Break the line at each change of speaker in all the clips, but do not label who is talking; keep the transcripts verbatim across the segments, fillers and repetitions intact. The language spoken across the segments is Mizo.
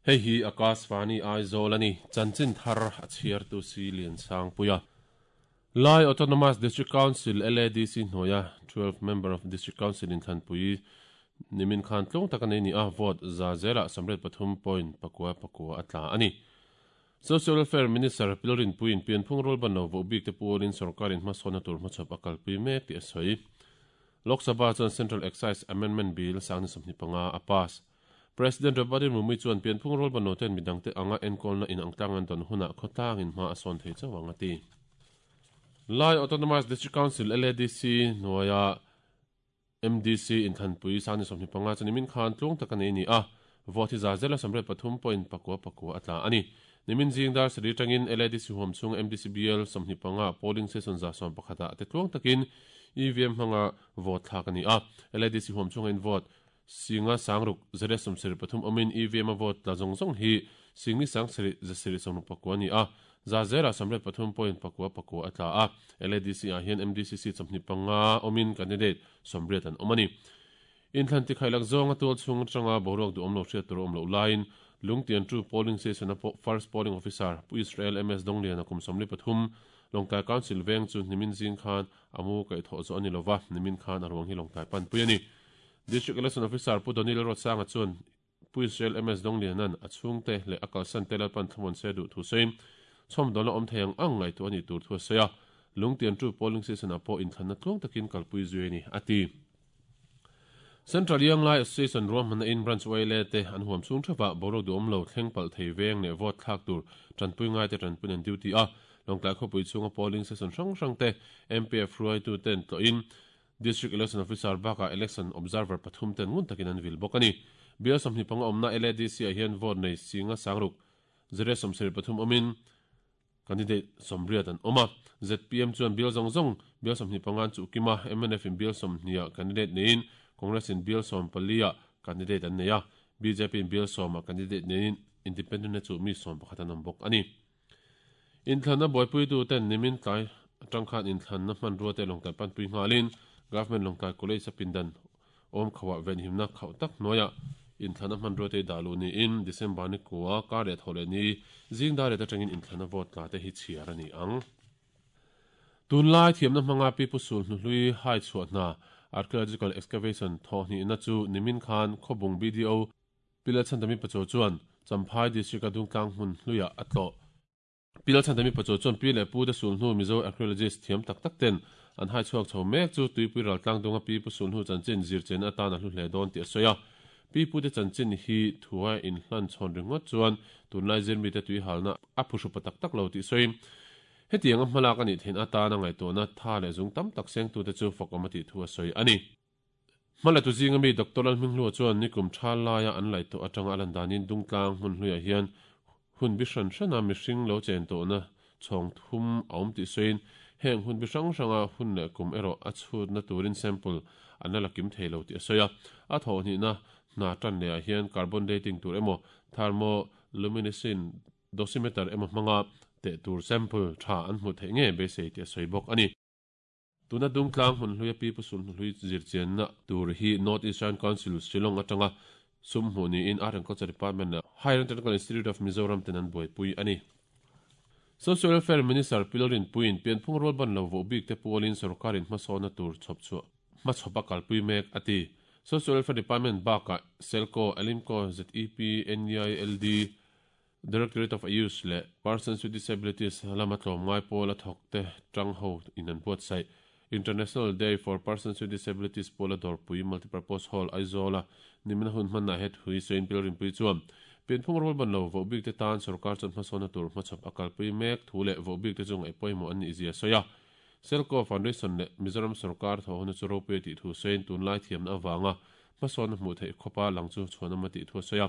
Hei hi Akashvani Aizawl ani chanchin thar a chhiar tu si lian sang puia. Lai Autonomous District Council L A D C hnuaia twelve member of District Council in Thanpui nimin khan tlung tak ani ni a vote za zela samret pathum point pakua pakua atla ani. Social Welfare Minister Pilorin Puin pianphung rol ban lo vo bik te pualin sarkarin hmasona tur hmachhawp a kalpui mek tih a sawi. Lok Sabha chuan Central Excise Amendment Bill sangni sawmhnih panga a pass. President Draupadi Murmu chuan pianphung rol ban lo ten midangte anga enkawlna in ang tlang an dawn hunah khawtlangin hma a sawn thei chauh ang a ti. Lai Autonomous District Council L A D C hnuaia M D C in Thanpui sangni sawmhnih panga chuan nimin khan tlung tak ani ni a vote hi za zela samret pathum point pakua pakua atla ani. Nimin jingdar sri tangin L A D C huam chung M D C B L sawmhnih panga polling station za sawm pakhata te tlung takin E V M hmanga vote thlak ani a. L A D C huam chung in vote singa sangruk zere sawmsarih pathum awmin E V M a vote tla zawng zawng hi singni sangsarih zasarih sawmruk pakua ani a. Za zera samret pathum point pakua pakua atla a. L A D C ah hian M D C C sawmhnih panga awmin candidate sawmriat an awm ani. Inthlan tikhailak zawng a tual chhung atanga boruak duh awm lo hriat tur awm loh laiin Lungtian chu polling station a first polling officer Pu Israel M S Donglian a kum sawmli pathum Longtlai Council veng chu nimin zing khan amu kaih thawh zawh ani lova nimin khan a ruang hi Longtlai pan pui ani. District Election Officer Pu Donil Rotsanga chuan Pu Israel M S Donglian an a chhungte leh a kalsan te lalpan thlamuan se duh thu sawiin chhawm dawn a awm thei ang ang ngaihtuah ani tur thu a sawi a. Lungtian chu polling station a pawh inthlanna tlung takin kalpui zui ani a ti. Central Young Lai Association ruahmanna in branch Y L A te an huam chung thapa boruak duh awm lo thleng palh thei veng leh vote thlak tur tanpui ngai te tanpui an duty a. Longtlai khawpui chhunga polling station hrang hrang te M P F hruaitu ten tlawhin District Election Officer baka Election Observer pathum ten ngun takin an vil bawk ani. Bial sawmhnih panga awmna L A D C ah hian vote nei singa sangruk zere sawmsarih pathum awmin candidate sawmriat an awm a. Z P M chuan bial zawng zawng bial sawmhnih panga an chuh kim a. M N F in bial sawmhnih ah candidate neiin Congress in bial sawm pali ah candidate an nei a. B J P in bial sawm ah candidate neiin independent na chu mi sawm pakhat an awm bawk ani. Inthlanna buaipuitu ten nimin tlai atang khan inthlanna hmanrua te Longtlai panpui nghalin Government Longtlai College a pindan awm khawah venhimna khauh tak hnuaiah inthlanna hmanrua te dah luh niin December ni kua kar leh thaw leh ni zingdar leh atangin inthlanna vote tla te hi chhiar ani ang. Tunlai thiamna hmanga pi pu sul hnuhlui hai chhuah hna archaeological excavation thawhhnih na chu nimin khan khawbung B D O Pilachandami Pacho chuan Champhai District a dungtlang hmun hluiah a tlawh. Pilachandami Pacho chuan pi leh pu te sul hnu Mizo archaeologist thiam tak tak ten an hai chhuak chho mek chu tuipui ral tlang dunga pi pu sul hnu chanchin zir chen atan a hlu hle dawn tih a sawi a. Pi pu te chanchin hi thua in hlan chhawn ringawt chuan tunlai zir mi te tui halna a phuhrupa tak tak lo tih sawi. Hetiang a hmalak ani thein atan a ngaihtuahna tha leh zung tam tak seng tu te chu fak awm a tih thu a sawi ani. Hmala tu zinga mi Doctor Lalhminghlua chuan nikum tha laia an laih tawh atanga a lan danin dungtlang hmun hluiah hian hun bi hran hrana mihring lo chen tawhna chhawng thum a awm tih sawiin heng hun bi hrang hranga hun leh kum erawh a chhutna turin sample an la lakim thei lo tih a sawi a. A thawhhnihna hna tan lehah hian carbon dating tur emaw thermoluminescent dosimeter emaw hmanga te tur sample tha an hmu thei nge beisei tih a sawi bawk ani. Tuna dungtlang hmun hluia pi pu sul hnuhlui zirchianna tur hi North Eastern Council Shillong atanga sum hmuh niin Art and Culture Department leh Higher Technical Institute of Mizoram ten an buaipui ani. Social Welfare Minister Pilorin Puin pianphung rol ban lo vo bik te pualin sarkarin hmasawna tur chhawp chu hmachhawp a kalpui mek a ti. Social Welfare Department baka Selco, Elimco, Z E P, N E I L D, Directorate of Ayush leh Persons with Disabilities lama tlawm ngai pawl a thawk te tang ho in an buatsaih. International Day for Persons with Disabilities pawl a dawrpui Multipurpose Hall Aizawl a nimina hun hmanna het hui sawiin Pilorin Pui chuan pianphung rol ban lo vo bik te tan sarkar chuan hmasawna tur hmachhawp a kalpui mek thu leh vo bik te chu ngaih pawimawh an nih zia sawi a. Selco Foundation leh Mizoram sarkar thaw huna chu ropui tih thu sawiin tunlai thiamna awanga hmasawna hmuh theih khawpa lang chu chhuan awm a tih thu a sawi a.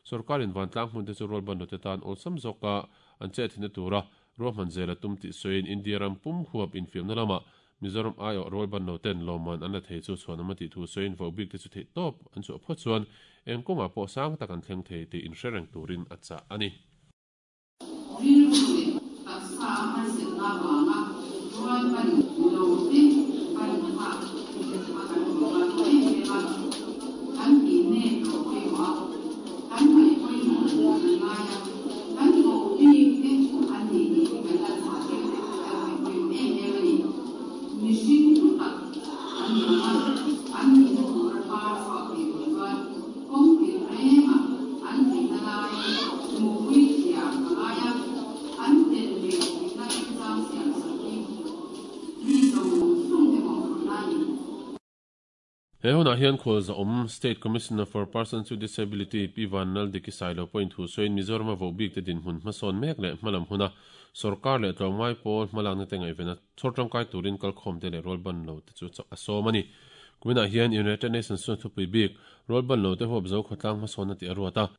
Sarkarin vantlang hmun te chu rol ban lo te tan awlsam zawka an che thina tura ruahman zela tum tih sawiin India ram pum huap infiamna lama Mizoram aio rol ban lo ten lawman an la thei chu chhuan awm a tih thu sawiin vo bik te chu theih tawp an chu phawt chuan eng kawngah pawh sang tak an thleng thei tih inhre reng turin a chah ani. He hunah hian khual za-awm State Commissioner for Persons with Disability Pi Vanlaldiki Sailo pawhin thu sawiin Mizoram a voh bik te dinhmun hmasawn mek leh hmalam huna sorkar leh tlawmngai pawl hmalakna te ngaihven a chhawr tangkai turin kalkhawm te leh rualban lo te chu a sawm a ni. Kuminah hian United Nations chuan thupui bik rualban lo te huap zo khawtlang hmasawn a tih a ruat a.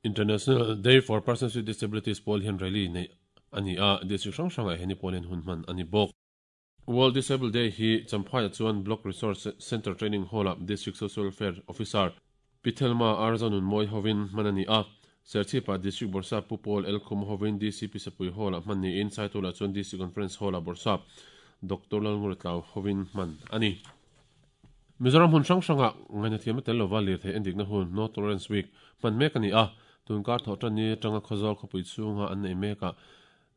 International Day for Persons with Disabilities pawl hian rally nei a ni a, district hrang hrangah hian ni pawl hian hun hman a ni bawk. World Disabled Day hi Champhai chuan Block Resource Center Training Hall-a District Social Welfare Officer Pithelma Arzanun Moi hovin hman a ni a. Serchhipa District Bawrhsap Pu Paul L Khum hovin D C P Sapui Hall-a hman niin Saitula chuan D C Conference Hall-a Bawrhsap Doctor Lalnguratlau hovin hman a ni. Mizoram hun hrang hranga ngaihna thiam a tel lova lirthei endikna hun No Tolerance Week hman mek a ni a. Tunkar thawh tan ni atanga Khawzawl khawpui chhunga an nei mek a.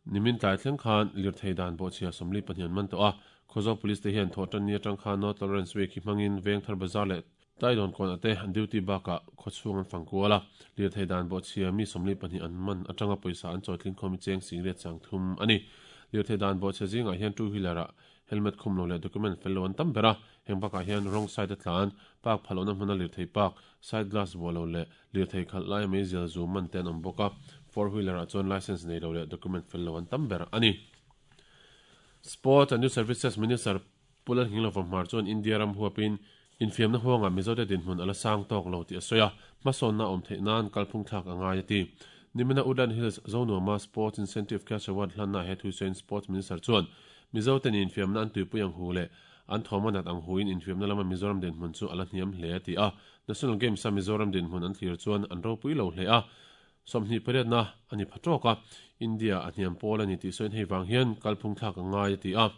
Nimin tlai thleng khan lirthei dan bawhchhia sawmli pahnih an man tawh a. Khawzawl Police te hian thawh tan ni atang khan No Tolerance Week hi hmangin Vengthar Bazar leh Taidawn kawn ate an duty bakah khawchhung an fang kual a. Lirthei dan bawhchhia mi sawmli pahnih an man atanga pawisa an chawitling khawm cheng singriat chang thum a ni. Lirthei dan bawhchhia zingah hian two wheeler ah helmet khum lo leh document fel lo an tam ber a. Heng bakah hian wrong side a tlan, park phalona hmuna lirthei park, side glass buah lo leh lirthei khalh lai mai zial zu man te an awm bawk a. Four wheeler ah chuan license nei lo leh document fel lo an tam ber a ni. Sport and Youth Services Minister Pulan Hinglova Hmar chuan India ram huapin infiamna huanga Mizote dinhmun ala sang tawk lo tih a sawi a. Hmasawnna awm theih nan kalphung thlak a ngai a ti. Nimina Woodland Hills Zonuama Sports Incentive Cash Award hlanna he thusawiin Sports Minister chuan Mizoten infiamna an tuipui ang hu leh an thawmanat ang huin infiamna lama Mizoram dinhmun chu ala hniam hle a ti a. National Games a Mizoram dinhmun an thlir chuan an ropui lo hle a. Sawmhnih pariatna ani phatawk a. India a hniam pawl ani tih sawiin hei vang hian kalphung thlak a ngai a ti a.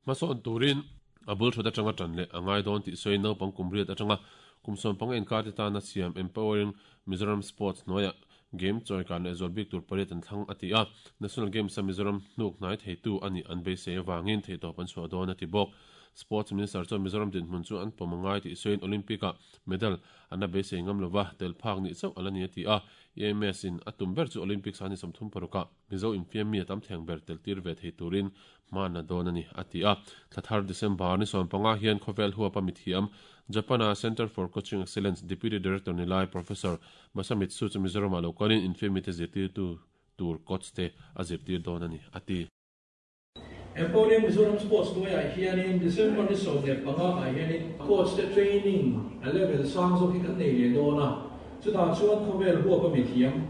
Hmasawn turin a bul thut atanga tan leh a ngai dawn tih sawiin naupang kumriat atanga kumsawm panga inkar te tana siam Empowering Mizoram Sports hnuaiah game chawikan leh zual bik tur pariat an thlang a ti a. National Games a Mizoram hnuk hnai theitu ani an beisei awangin theitawp an chhuah dawn a ti bawk. Sports Minister chuan Mizoram dinhmun chu an pawm a ngai tih sawiin Olympic ah medal an a beisei ngam lova tel phak ni chauh ala ni a ti a. E M S in a tum ber chu Olympics ani sawmthum parukah Mizo infiam mi a tam thleng ber tel tir ve thei turin hman a dawn ani a ti a. Thlathar December ni sawm panga hian khawvel huapa mithiam Japana Center for Coaching Excellence Deputy Director nilai Professor Masamitsu chu Mizoram a lokalin infiam mi te zirtir tu tur coach te a zirtir dawn ani a ti.
Empowering Mizoram Sports hnuaiah hianin December ni sawm leh panga ah hianin coach te training a level sang zawk hi kan nei leh dawn a. Chutah chuan khawvel huapa mithiam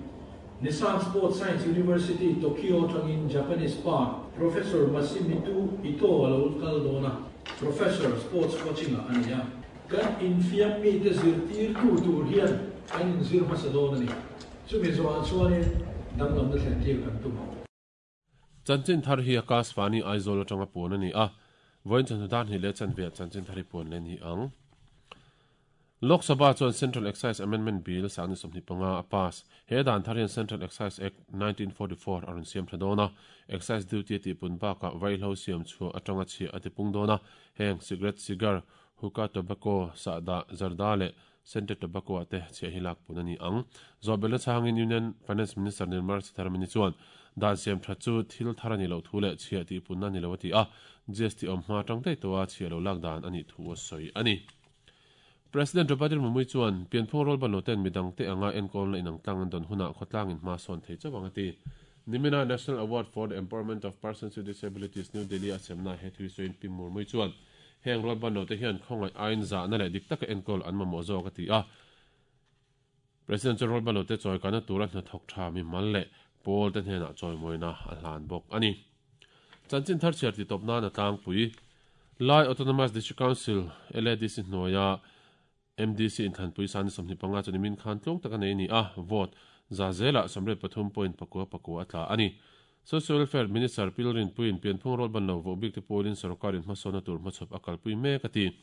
Nissan Sports Science University Tokyo tangin Japanese pa Professor Masimitu Ito a lo kal dawn a. Professor Sports Coaching ah ani a. Kan infiam mi te zirtir tu tur hian kan inzir hmasa dawn ani. Chumi zawhah chuanin danglamna thlen tir kan tum.
Chanchin thar hi Akashvani Aizawl atanga puan ani a. Vawiin chawhnu dan hi leh chanve chanchin thar hi puan le ni ang. Lok Sabha chuan Central Excise Amendment Bill sangni sawmhnih panga a pass. He dan thar hian Central Excise Act nineteen forty-four a rawn siam tha dawn a. Excise duty tih pun bakah vaihlo siam chhuah atanga chhiah a tipung dawn a. Heng cigarette, cigar, hookah, tobacco, sahdah, zarda leh scented tobacco ate chhiah hi lak pun ani ang. Zawhbelna chhangin Union Finance Minister Nirmala Sitharaman chuan dan siam tha chu thil thar ani lo thu leh chhiah tih punna ni lo a ti a. G S T awm hma tang daih tawh a chhiah lo lak dan ani thu a sawi ani. President Draupadi Murmu chuan pianphung rualban lo ten midang te anga enkawl na inang tlang an dawn hunah khawtlang in hma sawn thei chawang a ti. Nimina National Award for the Empowerment of Persons with Disabilities New Delhi a semna he thui sawiin Pi Murmu chuan heng rualban lo te hian khawngaih ain za na leh dik taka enkawl an mamawh zawk a ti a. President chuan rualban lo te chawikana tura hna thawk tha mi mal leh pawl te hnenah chawimawina a hlan bawk ani. Chanchin thar chhiar ti tawp nan a tlangpui Lai Autonomous District Council L A D C hnuaia M D C inthanpui sani sawmhnih panga chu nimin khan tlawng taka nei ni a. Vote za zela sawmriat pathum point pakua pakua a tla ani. Social Welfare Minister Pilrin Puin pianphung rualban lo voh bik te pawlin sarkarin hmasawna tur hmachhawp a kalpui mek a ti.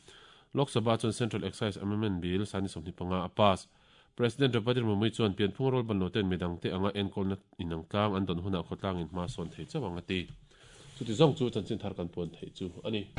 Lok Sabha chuan Central Excise Amendment Bill sani sawmhnih panga a pass. President Draupadi Murmu chuan pianphung rualban lo ten midang te anga enkawlna inang tlang an dawn hunah khawtlang in hma sawn thei chawang a ti. Chuti zawng chu chanchin thar kan puan thei chu ani.